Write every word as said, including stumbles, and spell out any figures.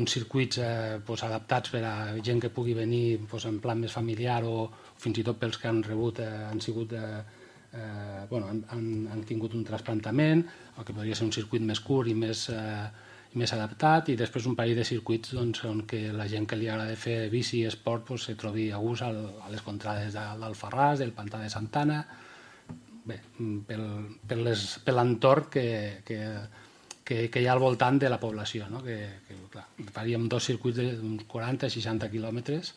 uns circuits eh, pues, adaptats per a gent que pugui venir pues, en plan més familiar o fins i tot pels que han rebut, eh, han sigut... Eh, eh, bueno, han, han, han tingut un trasplantament, o que podria ser un circuit més curt i més... Eh, més adaptat, i després un parell de circuits doncs, on que la gent que li agrada fer bici i esport pues, se trobi a gust al, a les contrades de, d'Alfarràs, del Pantà de Santana, bé, pel, per, les, per l'entorn que, que, que, que hi ha al voltant de la població, no? que, que clar, faríem dos circuits d'uns quaranta a seixanta quilòmetres